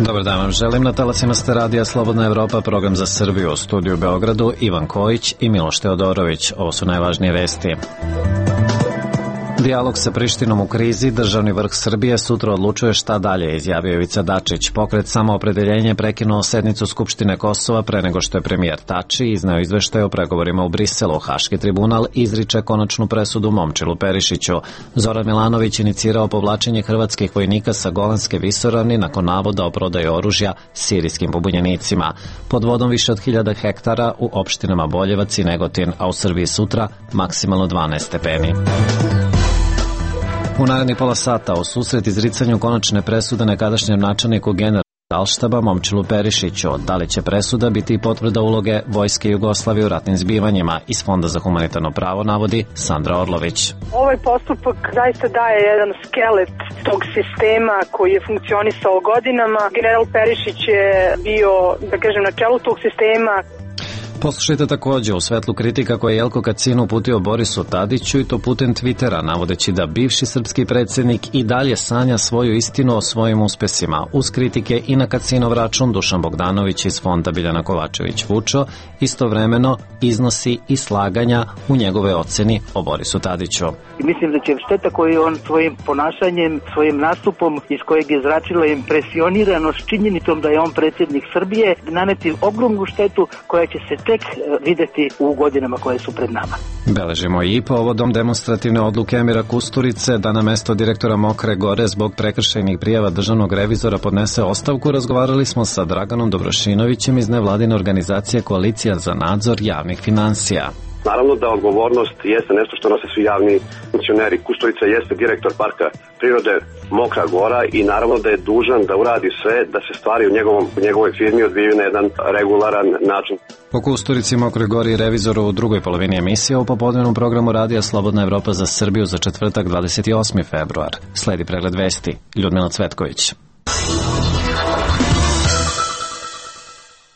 Dobar dan vam želim. Na talasima ste radija Slobodna Evropa, program za Srbiju. U studiju u Beogradu Ivan Kojić i Miloš Teodorović. Ovo su najvažnije vesti. Dijalog sa Prištinom u krizi, državni vrh Srbije sutra odlučuje šta dalje, izjavio Ivica Dačić. Pokret Samoopredeljenje prekinuo sednicu Skupštine Kosova pre nego što je premijer Tači izneo izveštaj o pregovorima u Briselu. Haški tribunal izriče konačnu presudu Momčilu Perišiću. Zoran Milanović inicirao povlačenje hrvatskih vojnika sa Golanske visoravni nakon navoda o prodaji oružja sirijskim pobunjenicima. Pod vodom više od 1000 hektara u opštinama Boljevac i Negotin, a u Srbiji sutra maksimalno 12 stepeni. U narednih pola sata u susret izricanju konačne presude nekadašnjem načelniku Generalštaba Momčilu Perišiću. Da li će presuda biti potvrda uloge Vojske Jugoslavije u ratnim zbivanjima? Iz Fonda za humanitarno pravo navodi Sandra Orlović. Ovaj postupak zaista daje jedan skelet tog sistema koji je funkcionisao godinama. General Perišić je bio, da kažem, na čelu tog sistema. Poslušajte takođe u svetlu kritika koje je Jelko Kacin uputio Borisu Tadiću i to putem Twittera, navodeći da bivši srpski predsjednik i dalje sanja svoju istinu o svojim uspesima. Uz kritike i na Kacinov račun Dušan Bogdanović iz Fonda Biljana Kovačević-Vučo istovremeno iznosi i slaganja u njegove oceni o Borisu Tadiću. Mislim da će šteta koju on svojim ponašanjem, svojim nastupom iz kojeg je zračila impresioniranost činjenicom da je on predsjednik Srbije naneti ogromnu štetu koja će se tek videti u godinama koje su pred nama. Beležimo i povodom demonstrativne odluke Emira Kusturice da na mesto direktora Mokre Gore zbog prekršajnih prijava državnog revizora podnese ostavku. Razgovarali smo sa Draganom Dobrošinovićem iz nevladine organizacije Koalicija za nadzor javnih finansija. Naravno da odgovornost jeste nešto što nose svi javni funkcioneri. Kusturica jeste direktor parka prirode Mokra Gora i naravno da je dužan da uradi sve da se stvari u njegovoj firmi odvijaju na jedan regularan način. O Kusturici, Mokroj Gori i revizoru u drugoj polovini emisije u popodnevnom programu radija Slobodna Evropa za Srbiju za četvrtak 28. februar. Sledi pregled vesti. Ljudmila Cvetković.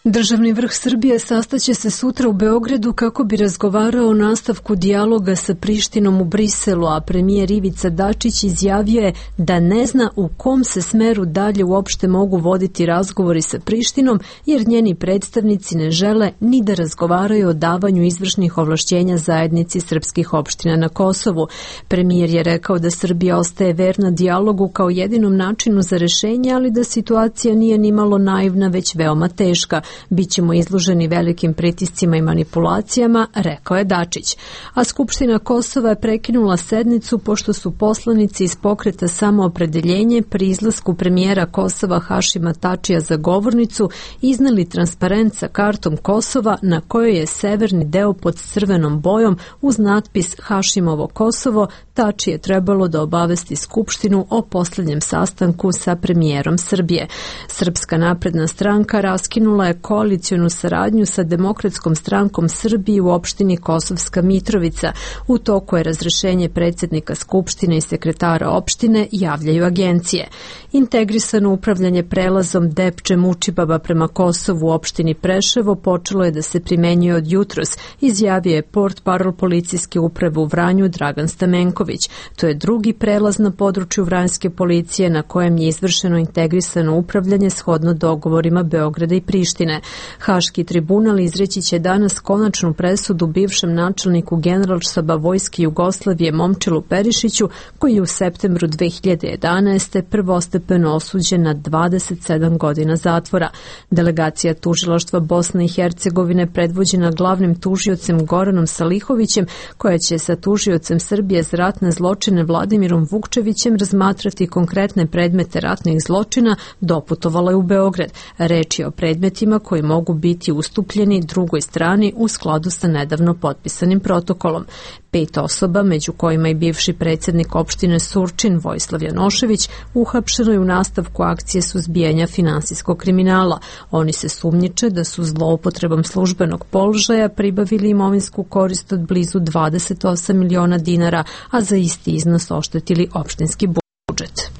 Državni vrh Srbije sastaće se sutra u Beogradu kako bi razgovarao o nastavku dijaloga sa Prištinom u Briselu, a premijer Ivica Dačić izjavio je da ne zna u kom se smeru dalje uopšte mogu voditi razgovori sa Prištinom, jer njeni predstavnici ne žele ni da razgovaraju o davanju izvršnih ovlašćenja zajednici srpskih opština na Kosovu. Premijer je rekao da Srbija ostaje verna dijalogu kao jedinom načinu za rešenje, ali da situacija nije nimalo naivna, već veoma teška. Bićemo izloženi velikim pritiscima i manipulacijama, rekao je Dačić. A Skupština Kosova je prekinula sednicu pošto su poslanici iz pokreta Samoopredeljenje pri izlasku premijera Kosova Hašima Tačija za govornicu izneli transparent sa kartom Kosova na kojoj je severni deo pod crvenom bojom uz natpis Hašimovo Kosovo. Tači je trebalo da obavesti Skupštinu o poslednjem sastanku sa premijerom Srbije. Srpska napredna stranka raskinula je koalicionu saradnju sa Demokratskom strankom Srbije u opštini Kosovska Mitrovica. U toku je razrešenje predsjednika Skupštine i sekretara opštine, javljaju agencije. Integrisano upravljanje prelazom Depče-Mučibaba prema Kosovu u opštini Preševo počelo je da se primenjuje od jutros, izjavio je portparol policijske uprave u Vranju Dragan Stamenković. To je drugi prelaz na području Vranjske policije na kojem je izvršeno integrisano upravljanje shodno dogovorima Beograda i Prištine. Haški tribunal izreći će danas konačnu presudu bivšem načelniku Generalštaba Vojske Jugoslavije Momčilu Perišiću, koji je u septembru 2011. prvostepeno osuđen na 27 godina zatvora. Delegacija tužilaštva Bosne i Hercegovine predvođena glavnim tužiocem Goranom Salihovićem, koja će sa tužiocem Srbije za ratne zločine Vladimirom Vukčevićem razmatrati konkretne predmete ratnih zločina, doputovala je u Beograd. Reč je o predmetima koji mogu biti ustupljeni drugoj strani u skladu sa nedavno potpisanim protokolom. 5 osoba, među kojima i bivši predsjednik opštine Surčin Vojislav Janošević, uhapšeno je u nastavku akcije suzbijanja finansijskog kriminala. Oni se sumnjiče da su zloupotrebom službenog položaja pribavili imovinsku korist od blizu 28 miliona dinara, a za isti iznos oštetili opštinski budžet.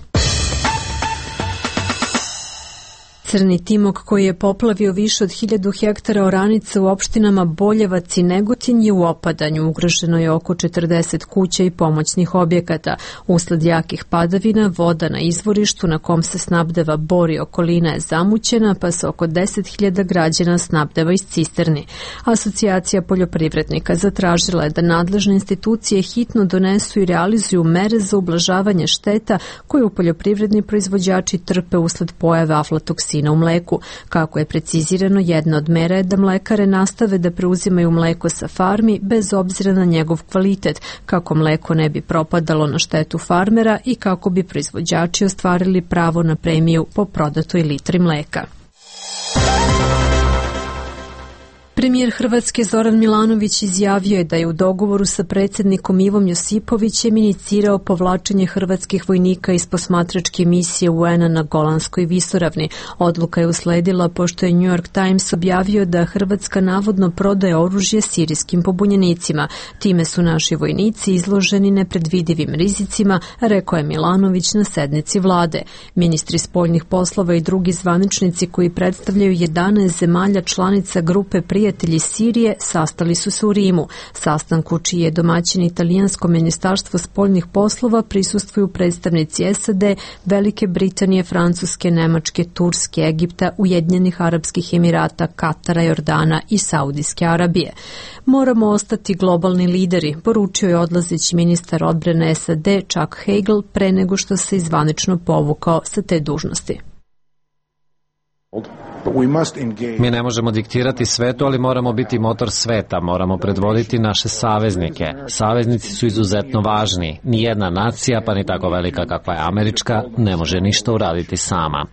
Crni timok koji je poplavio više od 1000 hektara oranica u opštinama Boljevac i Negotin je u opadanju. Ugroženo je oko 40 kuća i pomoćnih objekata. Usled jakih padavina, voda na izvorištu na kom se snabdeva Bor i okolina je zamućena, pa se oko 10.000 građana snabdeva iz cisterni. Asocijacija poljoprivrednika zatražila je da nadležne institucije hitno donesu i realizuju mere za ublažavanje šteta koje u poljoprivredni proizvođači trpe usled pojave aflatoksina u mleku. Kako je precizirano, jedna od mera je da mlekare nastave da preuzimaju mleko sa farmi bez obzira na njegov kvalitet, kako mleko ne bi propadalo na štetu farmera i kako bi proizvođači ostvarili pravo na premiju po prodatoj litri mleka. Premijer Hrvatske Zoran Milanović izjavio je da je u dogovoru sa predsjednikom Ivom Josipovićem inicirao povlačenje hrvatskih vojnika iz posmatračke misije UN-a na Golanskoj visoravni. Odluka je usledila pošto je New York Times objavio da Hrvatska navodno prodaje oružje sirijskim pobunjenicima. Time su naši vojnici izloženi nepredvidivim rizicima, rekao je Milanović na sednici vlade. Ministri spoljnih poslova i drugi zvaničnici koji predstavljaju 11 zemalja članica grupe prijatelji Sirije sastali su se u Rimu. Sastanku čiji je domaćin italijansko ministarstvo spoljnih poslova prisustvuju predstavnici SAD, Velike Britanije, Francuske, Nemačke, Turske, Egipta, Ujedinjenih Arapskih Emirata, Katara, Jordana i Saudijske Arabije. Moramo ostati globalni lideri, poručio je odlazeći ministar odbrane SAD Chuck Hagel pre nego što se zvanično povukao sa te dužnosti. Mi ne možemo diktirati svetu, ali moramo biti motor sveta, moramo predvoditi naše saveznike. Saveznici su izuzetno važni. Nijedna nacija, pa ni tako velika kakva je američka, ne može ništa uraditi sama.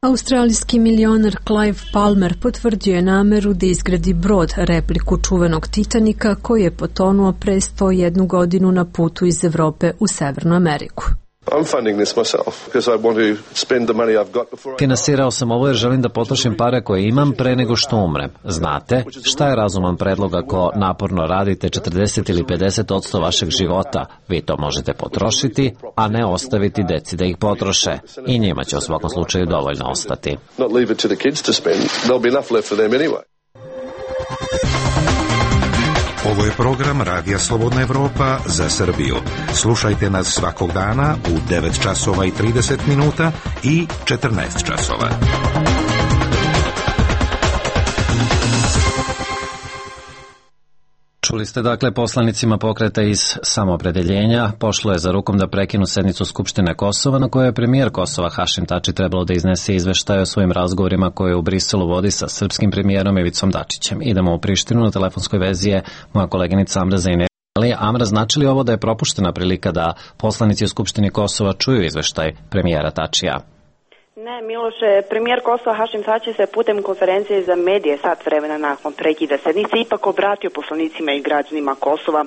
Australijski milioner Clive Palmer potvrdio je nameru da izgradi brod, repliku čuvenog Titanika koji je potonuo pre 101 godinu na putu iz Evrope u Severnu Ameriku. Finansirao sam ovo jer želim da potrošim pare koje imam pre nego što umrem. Znate, šta je razuman predlog ako naporno radite 40 ili 50% vašeg života? Vi to možete potrošiti, a ne ostaviti deci da ih potroše. I njima će u svakom slučaju dovoljno ostati. Ovo je program Radija Slobodna Evropa za Srbiju. Slušajte nas svakog dana u 9 časova i 30 minuta i 14 časova. Čuli ste dakle poslanicima pokreta iz Samoopredeljenja pošlo je za rukom da prekinu sednicu Skupštine Kosova na kojoj je premijer Kosova Hašim Tači trebalo da iznese izveštaje o svojim razgovorima koje u Briselu vodi sa srpskim premijerom Ivicom Dačićem. Idemo u Prištinu, na telefonskoj vezi je moja koleginica Amra Zajneli. Amra, znači li ovo da je propuštena prilika da poslanici u Skupštini Kosova čuju izveštaj premijera Tačija? Ne, Miloše, premijer Kosova Hašim Tači se putem konferencije za medije sat vremena nakon prekida sednice ipak obratio poslanicima i građanima Kosova.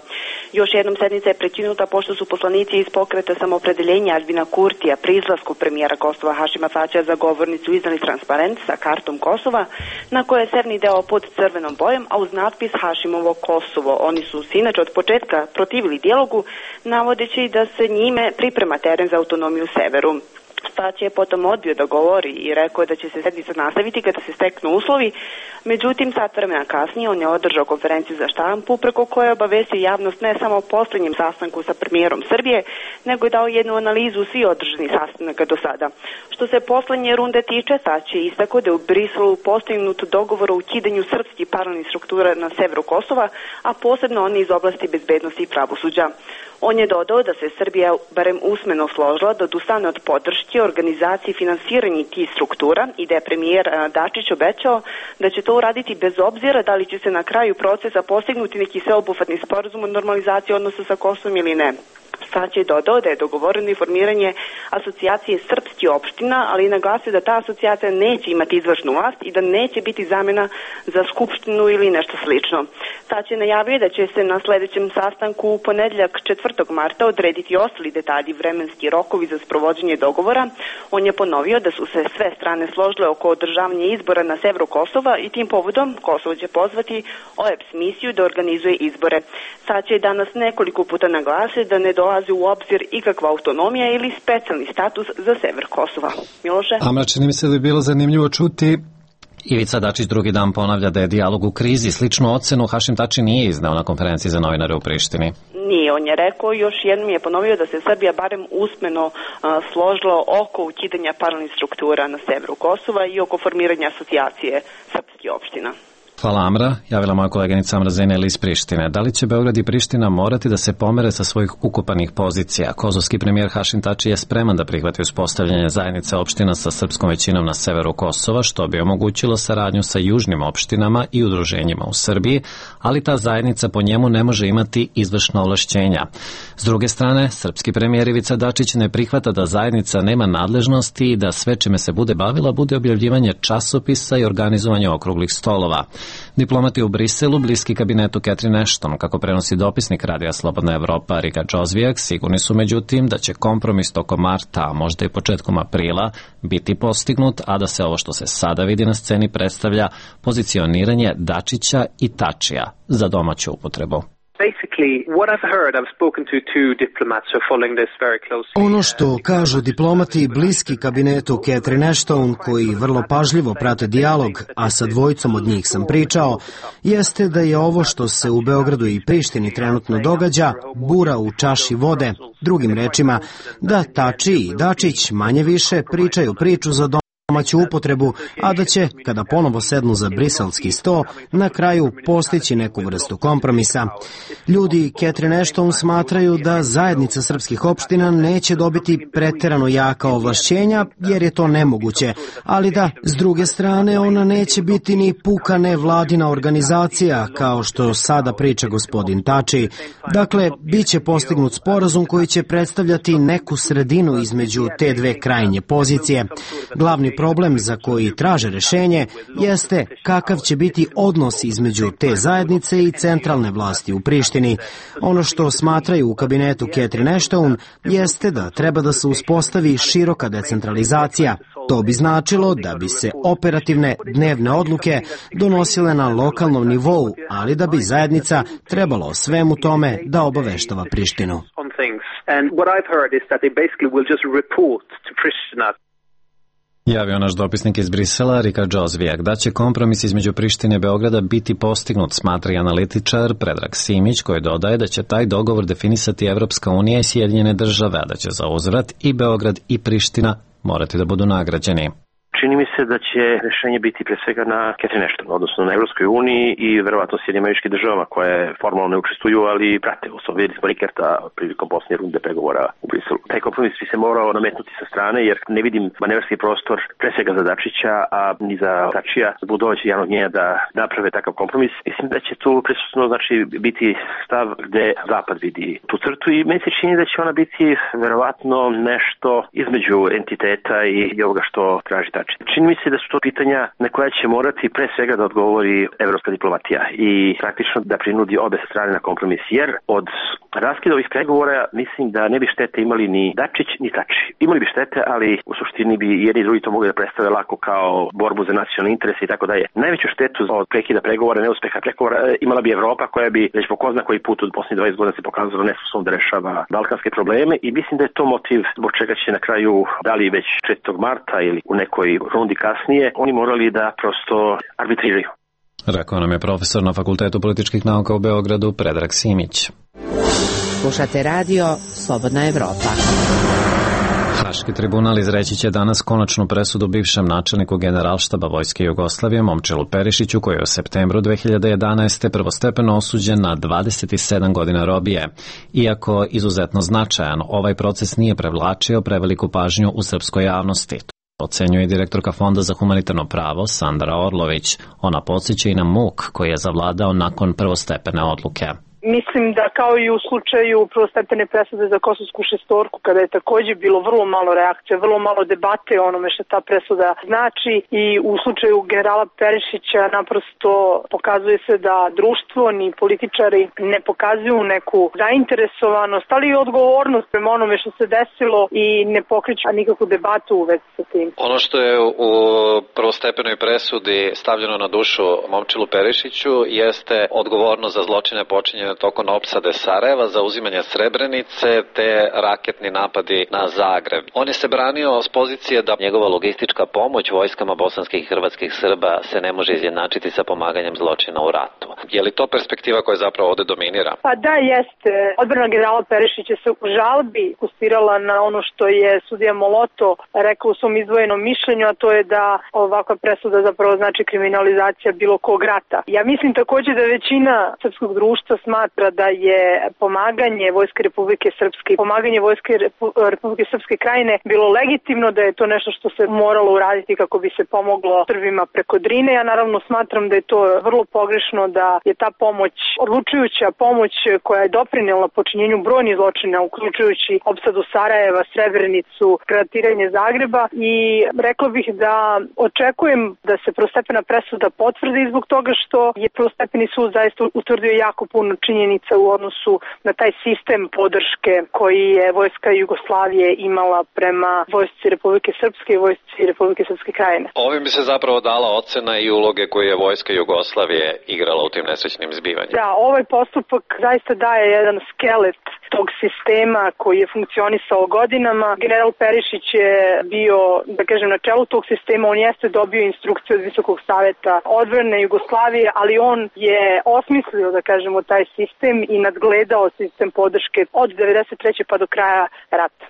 Još jednom sednica je prekinuta pošto su poslanici iz pokreta Samoopredeljenja Albina Kurtija pri izlasku premijera Kosova Hašima Tačija za govornicu iznali transparent sa kartom Kosova na kojoj je severni deo pod crvenom bojom, a uz natpis Hašimovo Kosovo. Oni su se inače od početka protivili dijalogu, navodeći da se njime priprema teren za autonomiju severu. Tači je potom odbio da govori i rekao da će se sednica nastaviti kada se steknu uslovi. Međutim, sat vremena kasnije on je održao konferenciju za štampu preko koje je obavestio javnost ne samo o posljednjem sastanku sa premijerom Srbije, nego je dao jednu analizu svih održanih sastanaka do sada. Što se poslednje runde tiče, Tači je istakao da je u Briselu postignut dogovor o ukidanju srpskih paralelnih struktura na severu Kosova, a posebno oni iz oblasti bezbednosti i pravosuđa. On je dodao da se Srbija barem usmeno složila da odustane od podrške organizaciji i finansiranja tih struktura i da je premijer Dačić obećao da će to uraditi bez obzira da li će se na kraju procesa postignuti neki sveobuhvatni sporazum o normalizaciji odnosa sa Kosovom ili ne. Tači je dodao da je dogovoreno i formiranje asocijacije srpskih opština, ali je naglasio da ta asocijacija neće imati izvršnu vlast i da neće biti zamena za skupštinu ili nešto slično. Tači je najavio da će se na sledećem sastanku u ponedeljak 4. marta odrediti ostali detalji, vremenski rokovi za sprovođenje dogovora. On je ponovio da su se sve strane složile oko održavanja izbora na severu Kosova i tim povodom Kosovo će pozvati OEBS misiju da organizuje izbore. Tači je danas nekoliko puta naglasio da ne dolazi dolazi u obzir ikakva autonomija ili specijalni status za sever Kosova. Miloše? Amra, čini mi se da je bilo zanimljivo čuti. Ivica Dačić drugi dan ponavlja da je dijalog u krizi. Sličnu ocenu Hašim Tači nije izneo na konferenciji za novinare u Prištini. Nije, on je rekao, još jednom je ponovio da se Srbija barem usmeno složila oko ukidanja paralelnih struktura na severu Kosova i oko formiranja asocijacije srpskih opština. Hvala Amra, javila moja koleginica Amra Zeneli iz Prištine. Da li će Beograd i Priština morati da se pomere sa svojih ukopanih pozicija? Kosovski premijer Hašim Tači je spreman da prihvati uspostavljanje zajednice opština sa srpskom većinom na severu Kosova, što bi omogućilo saradnju sa južnim opštinama i udruženjima u Srbiji, ali ta zajednica po njemu ne može imati izvršna ovlašćenja. S druge strane, srpski premijer Ivica Dačić ne prihvata da zajednica nema nadležnosti i da sve čime se bude bavila bude objavljivanje časopisa i organizovanje okruglih stolova. Diplomati u Briselu, bliski kabinetu Catherine Ashton, kako prenosi dopisnik Radija Slobodna Evropa Rika Džozvijak, sigurni su međutim da će kompromis tokom marta, a možda i početkom aprila, biti postignut, a da se ovo što se sada vidi na sceni predstavlja pozicioniranje Dačića i Tačija za domaću upotrebu. Ono što kažu diplomati bliski kabinetu Catherine Ashton, koji vrlo pažljivo prate dijalog, a sa dvojicom od njih sam pričao, jeste da je ovo što se u Beogradu i Prištini trenutno događa bura u čaši vode. Drugim rečima, da Tači i Dačić manje više pričaju priču za domaću upotrebu, a da će, kada ponovo sednu za briselski sto, na kraju postići neku vrstu kompromisa. Ljudi Catherine Ashton smatraju da zajednica srpskih opština neće dobiti preterano jaka ovlašćenja, jer je to nemoguće, ali da, s druge strane, ona neće biti ni puka nevladina organizacija, kao što sada priča gospodin Tači. Dakle, bit će postignut sporazum koji će predstavljati neku sredinu između te dve krajnje pozicije. Glavni problem za koji traže rešenje jeste kakav će biti odnos između te zajednice i centralne vlasti u Prištini. Ono što smatraju u kabinetu Catherine Ashton jeste da treba da se uspostavi široka decentralizacija. To bi značilo da bi se operativne dnevne odluke donosile na lokalnom nivou, ali da bi zajednica trebalo o svemu tome da obaveštava Prištinu. Javio naš dopisnik iz Brisela, Rika Džozvijak, da će kompromis između Prištine i Beograda biti postignut, smatra i analitičar Predrag Simić, koji dodaje da će taj dogovor definisati Evropska unija i Sjedinjene države, a da će za uzvrat i Beograd i Priština morati da budu nagrađeni. Čini mi se da će rešenje biti pre svega na Catherine Ashton, odnosno na Evropskoj uniji i verovatno Sjedinjenim Američkim Državama koje formalno ne učestvuju, ali prate. Vidjeli smo Rikerta prilikom posljednje runde pregovora u Briselu. Taj kompromis bi se morao nametnuti sa strane, jer ne vidim manevarski prostor pre svega za Dačića, a ni za Tačija, da budu doći javnog njenja da naprave takav kompromis. Mislim da će tu prisutno biti stav gde Zapad vidi tu crtu i meni se čini da će ona biti verovatno nešto između entiteta i ovoga što traži Tači. Čini mi se da su to pitanja na koja će morati pre svega da odgovori evropska diplomatija i praktično da prinudi obe strane na kompromis, jer od raskida ovih pregovora mislim da ne bi štete imali ni Dačić ni Tači. Imali bi štete, ali u suštini bi jedni i drugi to mogli da predstave lako kao borbu za nacionalne interese i tako dalje. Najveću štetu od prekida pregovora, neuspeha pregovora imala bi Evropa, koja bi već po ko zna koji put od posljednjih 20 godina se pokazala nesposobna da rešava balkanske probleme i mislim da je to motiv zbog čega će na kraju, da li već 4. marta ili u nekoj rundi kasnije, oni morali da prosto arbitriraju. Rekao nam je profesor na Fakultetu političkih nauka u Beogradu Predrag Simić. Slušate radio Slobodna Evropa. Haški tribunal izreći će danas konačnu presudu bivšem načelniku Generalštaba Vojske Jugoslavije Momčilu Perišiću, koji je u septembru 2011. prvostepeno osuđen na 27 godina robije. Iako izuzetno značajan, ovaj proces nije prevlačio preveliku pažnju u srpskoj javnosti. Ocenjuje direktorka Fonda za humanitarno pravo Sandra Orlović. Ona podsjeća i na muk koji je zavladao nakon prvostepene odluke. Mislim da kao i u slučaju prvostepene presude za Kosovsku šestorku, kada je takođe bilo vrlo malo reakcija, vrlo malo debate o onome što ta presuda znači, i u slučaju generala Perišića naprosto pokazuje se da društvo ni političari ne pokazuju neku zainteresovanost, ali i odgovornost prema onome što se desilo i ne pokreću nikakvu debatu u vezi sa tim. Ono što je u prvostepenoj presudi stavljeno na dušu Momčilu Perišiću jeste odgovornost za zločine počinjene tokom opsade Sarajeva, zauzimanja Srebrenice te raketni napadi na Zagreb. On je se branio s pozicije da njegova logistička pomoć vojskama bosanskih i hrvatskih Srba se ne može izjednačiti sa pomaganjem zločina u ratu. Je li to perspektiva koja zapravo ovde dominira? Pa da, jeste. Odbrana generala Perišića se u žalbi fokusirala na ono što je sudija Moloto rekao u svom izdvojenom mišljenju, a to je da ovakva presuda zapravo znači kriminalizacija bilo kog rata. Ja mislim takođe da većina srpskog društva smatra da je pomaganje Vojske Republike Srpske i pomaganje Vojske Republike Srpske Krajine bilo legitimno, da je to nešto što se moralo uraditi kako bi se pomoglo Srbima preko Drine. Ja naravno smatram da je to vrlo pogrešno, da je ta pomoć, odlučujuća pomoć koja je doprinela počinjenju brojnih zločina, uključujući opsadu Sarajeva, Srebrenicu, granatiranje Zagreba, i rekla bih da očekujem da se prvostepena presuda potvrdi zbog toga što je prvostepeni sud zaista utvrdio jako puno činjenica u odnosu na taj sistem podrške koji je Vojska Jugoslavije imala prema Vojsci Republike Srpske i Vojsci Republike Srpske Krajine. Ovim bi se zapravo dala ocena i uloge koje je Vojska Jugoslavije igrala u tim nesrećnim zbivanjima. Da, ovaj postupak zaista daje jedan skelet tog sistema koji je funkcionisao godinama. General Perišić je bio, da kažem, na čelu tog sistema. On jeste dobio instrukciju od Visokog saveta odbrane Jugoslavije, ali on je osmislio, da kažemo, taj sistem i nadgledao sistem podrške od 1993. pa do kraja rata.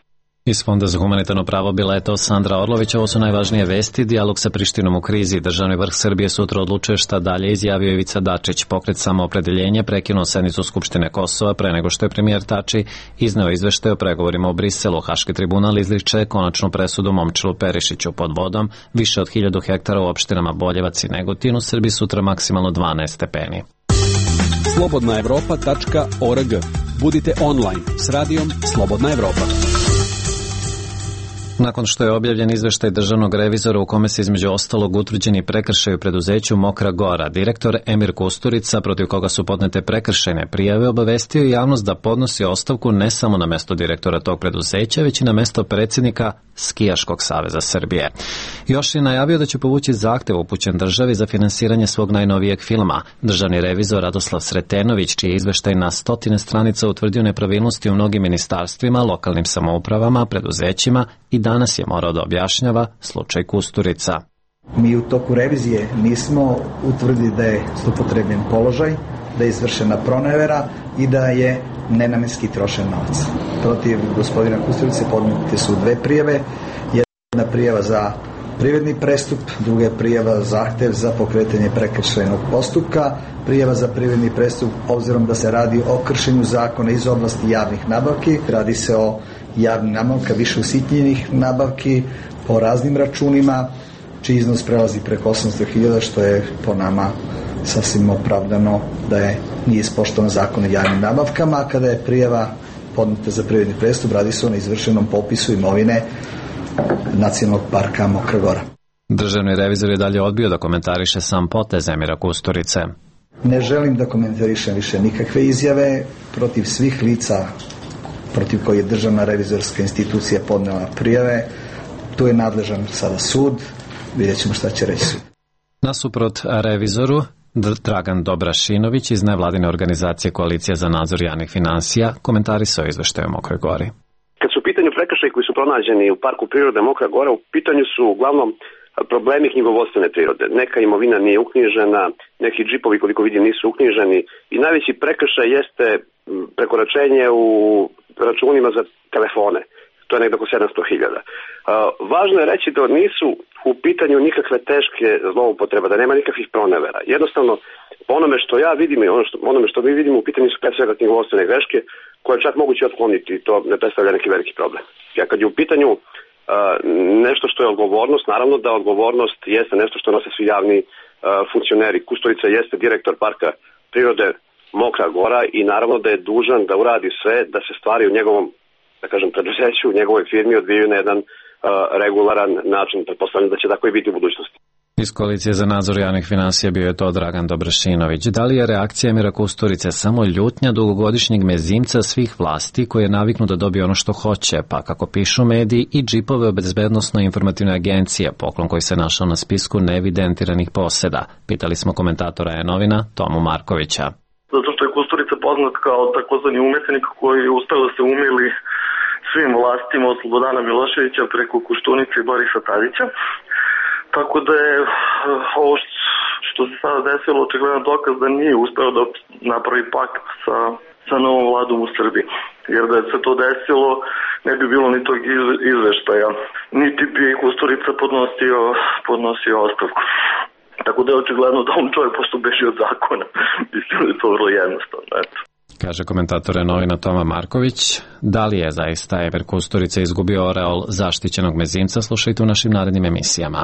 Iz Fonda za humanitarno pravo bila je to Sandra Orlović. Ovo su najvažnije vesti. Dijalog sa Prištinom u krizi. Državni vrh Srbije sutra odlučuje šta dalje, izjavio Ivica Dačić. Pokret Samoopredeljenje prekinuo sednicu Skupštine Kosova pre nego što je premijer Tači izneo izveštaj o pregovorima u Briselu. Haški tribunal izriče konačnu presudu Momčilu Perišiću. Pod vodom više od 1000 hektara u opštinama Boljevac i Negotin. U Srbiji sutra maksimalno 12 stepeni. slobodnaevropa.org. Budite online s radijom Slobodna Evropa. Nakon što je objavljen izveštaj državnog revizora u kome se između ostalog utvrđeni prekršaj u preduzeću Mokra Gora, direktor Emir Kusturica, protiv koga su podnete prekršajne prijave, obavestio je javnost da podnosi ostavku ne samo na mesto direktora tog preduzeća, već i na mesto predsjednika Skijaškog saveza Srbije. Još je najavio da će povući zahtev upućen državi za finansiranje svog najnovijeg filma. Državni revizor Radoslav Sretenović, čiji je izveštaj na 100 stranica utvrdio nepravilnosti u mnogim ministarstvima, lokalnim samoupravama, preduzećima, i danas je morao da objašnjava slučaj Kusturica. Mi u toku revizije nismo utvrdili da je zloupotrebljen položaj, da je izvršena pronevera i da je nenamenski trošen novac. Protiv gospodina Kusturice podnete su 2 prijave. Jedna prijava za privredni prestup, druga je prijava zahtev za pokretanje prekršajnog postupka. Prijava za privredni prestup, obzirom da se radi o kršenju zakona iz oblasti javnih nabavki, radi se o javnih nabavka, više usitnjenih nabavki po raznim računima, čiji iznos prelazi preko 800.000, što je po nama sasvim opravdano da nije ispoštovan zakon o javnim nabavkama. A kada je prijava podneta za privredni prestup, radi se o neizvršenom popisu imovine Nacionalnog parka Mokra Gora. Državni revizor je dalje odbio da komentariše sam potez Emira Kusturice. Ne želim da komentarišem više nikakve izjave protiv svih lica protiv koji je Državna revizorska institucija podnela prijave. Tu je nadležan sada sud, vidjet ćemo šta će reći sud. Nasuprot revizoru, Dragan Dobrašinović iz nevladine organizacije Koalicija za nadzor javnih finansija komentarisao izveštaj o Mokroj Gori. Kad su u pitanju prekršaji koji su pronađeni u Parku prirode Mokra Gora, u pitanju su uglavnom problemi knjigovodstvene prirode. Neka imovina nije uknjižena, neki džipovi koliko vidim nisu uknjiženi i najveći prekršaj jeste prekoračenje u računima za telefone. To je nekako 700.000. Važno je reći da nisu u pitanju nikakve teške zloupotrebe, da nema nikakvih pronevera. Jednostavno, po onome što ja vidim i onome što mi vidimo, u pitanju su pre svega knjigovodstvene greške koje je čak moguće otkloniti i to ne predstavlja neki veliki problem. Ja kad je u pitanju nešto što je odgovornost, naravno da odgovornost jeste nešto što nose svi javni funkcioneri. Kusturica jeste direktor Parka prirode Mokra Gora i naravno da je dužan da uradi sve da se stvari u njegovom, da kažem, preduzeću, u njegovoj firmi odvijaju na jedan regularan način. Pretpostavljam da će tako i biti u budućnosti. Iz Koalicije za nadzor javnih finansija bio je to Dragan Dobrašinović. Da li je reakcija Emira Kusturice samo ljutnja dugogodišnjeg mezimca svih vlasti koji je naviknu da dobije ono što hoće, pa kako pišu mediji i džipove bezbednosno-informativne agencije, poklon koji se našao na spisku neevidentiranih poseda? Pitali smo komentatora E-novina Tomu Markovića. Zato što je Kusturica Koštunica poznat kao takozvani umetnik koji je uspeo da se umili svim vlastima od Slobodana Miloševića preko Koštunice i Borisa Tadića. Tako da je ovo što se sada desilo očigledno dokaz da nije uspeo da napravi pakt sa novom vladom u Srbiji. Jer da je se to desilo, ne bi bilo ni tog izveštaja. Niti bi Kusturica podnosio ostavku. Tako da je očigledno da on čovjek pošto beži od zakona. Mislim da je to vrlo jednostavno. Eto. Kaže komentator novina Toma Marković. Da li je zaista Ever Kusturica izgubio oreol zaštićenog mezimca? Slušajte u našim narednim emisijama.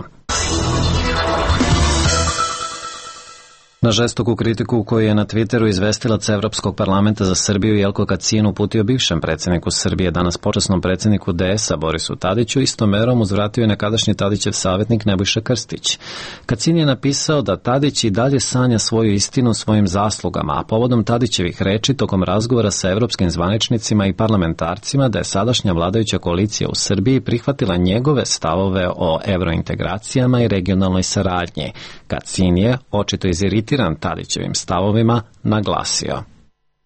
Na žestoku kritiku koju je na Twitteru izvestilac Evropskog parlamenta za Srbiju Jelko Kacin uputio bivšem predsjedniku Srbije, danas počasnom predsjedniku DS-a Borisu Tadiću, istom merom uzvratio je nekadašnji Tadićev savjetnik Nebojša Krstić. Kacin je napisao da Tadić i dalje sanja svoju istinu svojim zaslugama, a povodom Tadićevih reči tokom razgovora sa evropskim zvaničnicima i parlamentarcima da je sadašnja vladajuća koalicija u Srbiji prihvatila njegove stavove o evrointegracijama i regionalnoj saradnji. Kacin je, očito iziritiran Tadićevim stavovima, naglasio.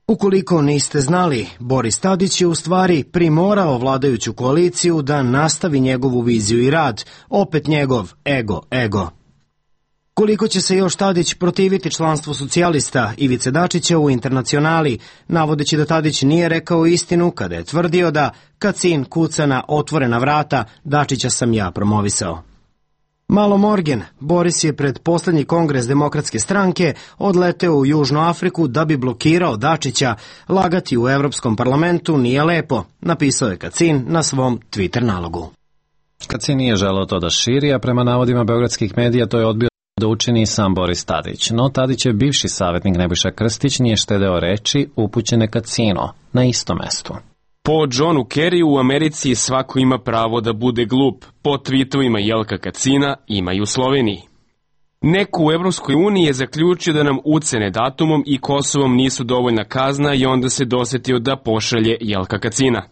Ukoliko niste znali, Boris Tadić je u stvari primorao vladajuću koaliciju da nastavi njegovu viziju i rad, opet njegov ego. Koliko će se još Tadić protiviti članstvu socijalista Ivice Dačića u Internacionali, navodeći da Tadić nije rekao istinu kada je tvrdio da Kacin kuca na otvorena vrata, Dačića sam ja promovisao. Malo Morgen, Boris je pred poslednji kongres Demokratske stranke odleteo u Južnu Afriku da bi blokirao Dačića. Lagati u Evropskom parlamentu nije lepo, napisao je Kacin na svom Twitter nalogu. Kacin nije želeo to da širi, a prema navodima beogradskih medija to je odbio da učini i sam Boris Tadić. No Tadićev bivši savjetnik Nebojša Krstić nije štedeo reči upućene Kacinu na istom mestu. Po Johnu Kerryu u Americi svako ima pravo da bude glup. Po tweetovima Jelka Kacina ima i u Sloveniji. Neko u Evropskoj uniji je zaključio da nam ucene datumom i Kosovom nisu dovoljna kazna i onda se dosetio da pošalje Jelka Kacina.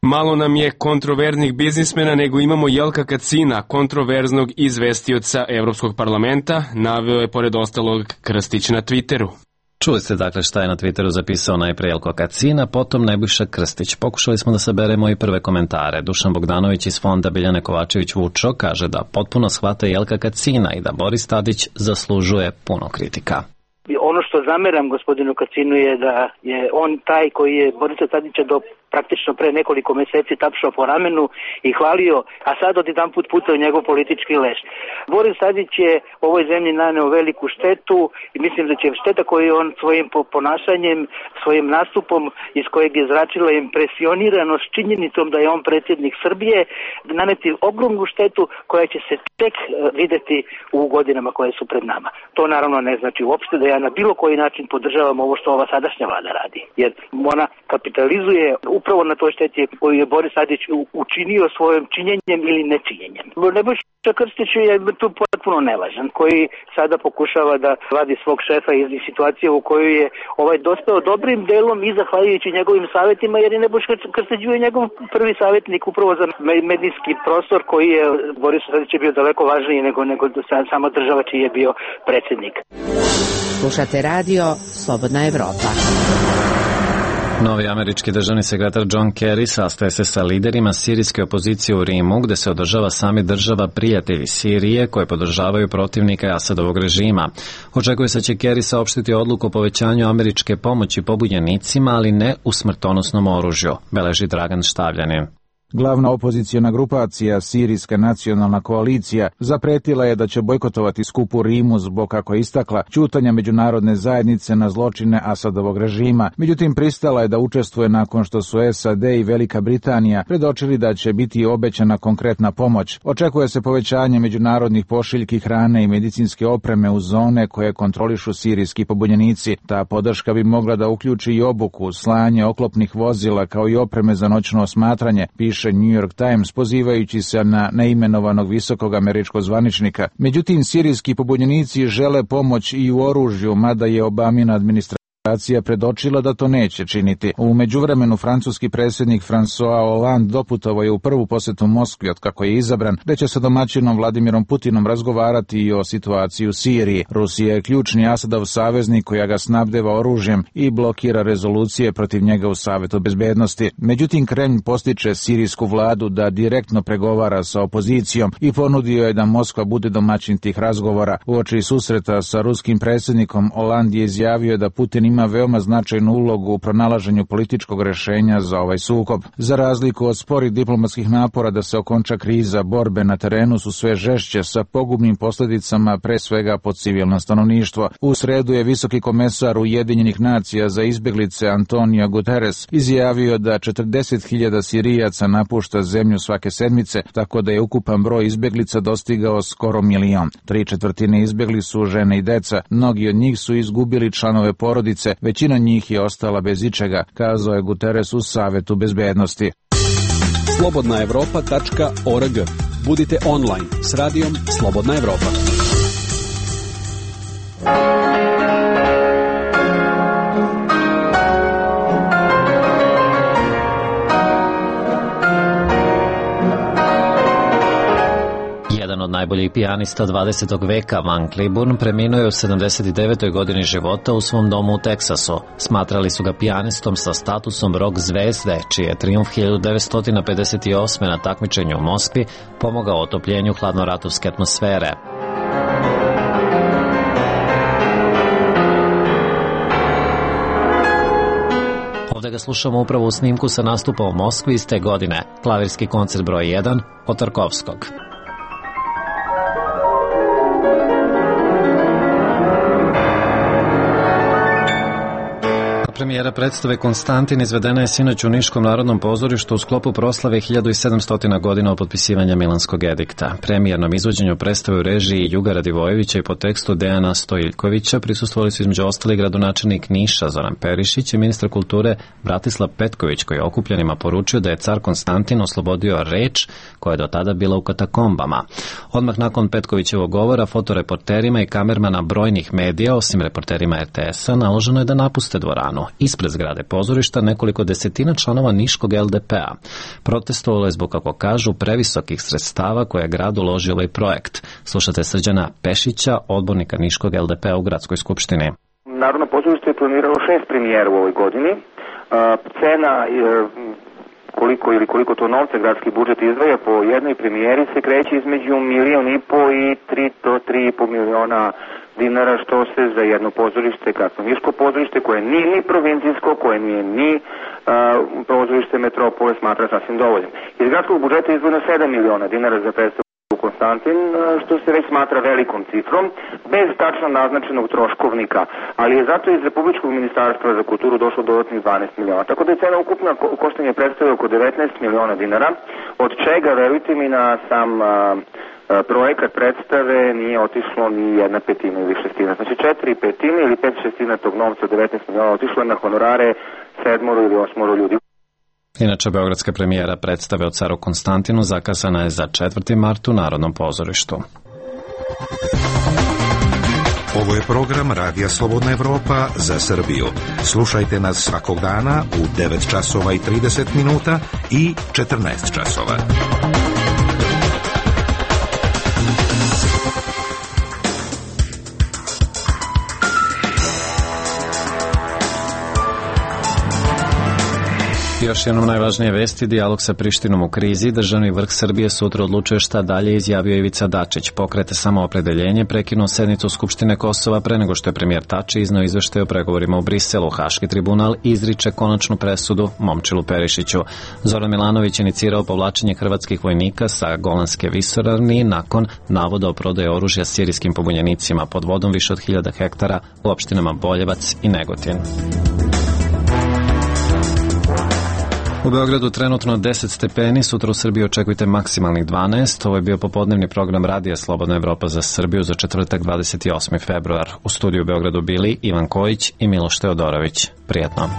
Malo nam je kontroverznih biznismena, nego imamo Jelka Kacina, kontroverznog izvestioca Evropskog parlamenta, naveo je pored ostalog Krstić na Twitteru. Čuli ste dakle šta je na Twitteru zapisao najpre Jelko Kacina, potom Nebojša Krstić. Pokušali smo da saberemo i prve komentare. Dušan Bogdanović iz fonda Biljane Kovačević-Vučo kaže da potpuno shvata Jelka Kacina i da Boris Tadić zaslužuje puno kritika. Ono što zameram gospodinu Kacinu je da je on taj koji je Borisa Tadića do praktično pre nekoliko meseci tapšao po ramenu i hvalio, a sad odjedanput pucao njegov politički leš. Boris Tadić je ovoj zemlji naneo veliku štetu i mislim da će šteta koju on svojim ponašanjem, svojim nastupom iz kojeg je zračila impresioniranost činjenicom da je on predsjednik Srbije, naneti ogromnu štetu koja će se tek videti u godinama koje su pred nama. To naravno ne znači uopšte da ja na bilo koji način podržavam ovo što ova sadašnja vlada radi, jer ona kapitalizuje upravo na toj šteti koju je Boris Tadić učinio svojim činjenjem ili nečinjenjem. Nebojša Krstić je tu potpuno nevažan, koji sada pokušava da vadi svog šefa iz situacije u kojoj je dospeo dobrim delom i zahvaljujući njegovim savjetima, jer je Nebojša Krstić bio njegov prvi savjetnik upravo za medijski prostor koji je Boris Tadić je bio daleko važniji nego sama država čiji je bio predsjednik. Slušate radio Slobodna Evropa. Novi američki državni sekretar John Kerry sastaje se sa liderima sirijske opozicije u Rimu, gde se održava samit država prijatelji Sirije koje podržavaju protivnika Asadovog režima. Očekuje se da će Kerry saopštiti odluku o povećanju američke pomoći pobunjenicima, ali ne u smrtonosnom oružju, beleži Dragan Štavljanin. Glavna opozicijona grupacija, Sirijska nacionalna koalicija, zapretila je da će bojkotovati skup u Rimu zbog, kako je istakla, ćutanja međunarodne zajednice na zločine Asadovog režima. Međutim, pristala je da učestvuje nakon što su SAD i Velika Britanija predočili da će biti obećana konkretna pomoć. Očekuje se povećanje međunarodnih pošiljki hrane i medicinske opreme u zone koje kontrolišu sirijski pobunjenici. Ta podrška bi mogla da uključi i obuku, slanje oklopnih vozila kao i opreme za noćno osmatranje, piše New York Times pozivajući se na neimenovanog visokog američkog zvaničnika. Međutim, sirijski pobunjenici žele pomoć i u oružju, mada je Obamina administracija administracija predočila da to neće činiti. U međuvremenu francuski predsjednik François Hollande doputovao je u prvu posjetu Moskvi od kako je izabran, gde će sa domaćinom Vladimirom Putinom razgovarati i o situaciji u Siriji. Rusija je ključni Asadov saveznik koja ga snabdeva oružjem i blokira rezolucije protiv njega u Savetu bezbednosti. Međutim, Kremlj postiče sirijsku vladu da direktno pregovara sa opozicijom i ponudio je da Moskva bude domaćin tih razgovora. Uoči susreta sa ruskim predsjednikom Hollande je izjavio da Putin ima veoma značajnu ulogu u pronalaženju političkog rešenja za ovaj sukob. Za razliku od sporih diplomatskih napora da se okonča kriza, borbe na terenu su sve žešće sa pogubnim posljedicama pre svega po civilno stanovništvo. U sredu je visoki komesar Ujedinjenih nacija za izbjeglice Antonio Guterres izjavio da 40.000 Sirijaca napušta zemlju svake sedmice, tako da je ukupan broj izbjeglica dostigao skoro 1 milion. 3/4 izbjegli su žene i deca, mnogi od njih su izgubili članove porodice, većina njih je ostala bez ičega, kazao je Guterres u Savetu bezbednosti. slobodnaevropa.org. Budite online s radijom Slobodna Evropa. Od najboljih pijanista 20. veka, Van Cliburn, preminuo je u 79. godini života u svom domu u Teksasu. Smatrali su ga pijanistom sa statusom rock zvezde, čiji je trijumf 1958. na takmičenju u Moskvi pomogao otopljenju hladnoratovske atmosfere. Ovdje ga slušamo upravo u snimku sa nastupa u Moskvi iz te godine, klavirski koncert broj 1 od Tarkovskog. Premijera predstave Konstantin izvedena je sinoć u Niškom narodnom pozorištu u sklopu proslave 1700 godina od potpisivanja Milanskog edikta. Premijernom izvođenju predstave u režiji Juga Radivojevića i po tekstu Dejana Stojiljkovića prisustvovali su između ostalih gradonačelnik Niša Zoran Perišić i ministar kulture Bratislav Petković, koji je okupljenima poručio da je car Konstantin oslobodio reč koja je do tada bila u katakombama. Odmah nakon Petkovićevog govora fotoreporterima i kamermana brojnih medija, osim reporterima RTS-a, naloženo je da napuste dvoranu. Ispred zgrade pozorišta nekoliko desetina članova Niškog LDP-a. Protestovalo je zbog, kako kažu, previsokih sredstava koje je grad uložio ovaj projekt. Slušate Srđana Pešića, odbornika Niškog LDP-a u Gradskoj skupštini. Narodno pozorište je planiralo 6 premijera u ovoj godini. Cena koliko to novca gradski budžet izdvaja po jednoj premijeri se kreće između 1,5 miliona i 3 do 3,5 miliona dinara, što se za jedno pozorište, kakvo Niško pozorište, koje nije ni provincijsko, koje nije ni pozorište metropole, smatra sasvim dovoljnim. Iz gradskog budžeta je izdvojeno 7 miliona dinara za predstavu Konstantin, što se već smatra velikom cifrom, bez tačno naznačenog troškovnika, ali je zato iz Republičkog ministarstva za kulturu došlo dodatnih 12 miliona. Tako da je cena ukupna koštanja predstave oko 19 miliona dinara, od čega, verujte mi, na sam projekat predstave nije otišlo ni 1/5 ili 1/6. Znači 4/5 ili 5/6 tog novca, 19 miliona, otišlo je na honorare 7 ili 8 ljudi. Inače, beogradska premijera predstave o caru Konstantinu zakazana je za 4. mart u Narodnom pozorištu. Ovo je program Radija Slobodna Evropa za Srbiju. Slušajte nas svakog dana u 9 časova i 30 minuta i 14 časova. Još jednom najvažnije vesti, dijalog sa Prištinom u krizi. Državni vrh Srbije sutra odlučuje šta dalje, izjavio Ivica Dačić. Pokret Samoopredeljenje prekinuo sednicu Skupštine Kosova pre nego što je premijer Tači izneo izveštaj o pregovorima u Briselu. Haški tribunal izriče konačnu presudu Momčilu Perišiću. Zoran Milanović inicirao povlačenje hrvatskih vojnika sa Golanske visoravni nakon navoda o prodaji oružja sirijskim pobunjenicima pod vodom više od 1000 hektara u opštinama Boljevac i Negotin. U Beogradu trenutno 10 stepeni, sutra u Srbiji očekujte maksimalnih 12. Ovo je bio popodnevni program Radija Slobodna Evropa za Srbiju za četvrtak 28. februar. U studiju u Beogradu bili Ivan Kojić i Miloš Teodorović. Prijetno.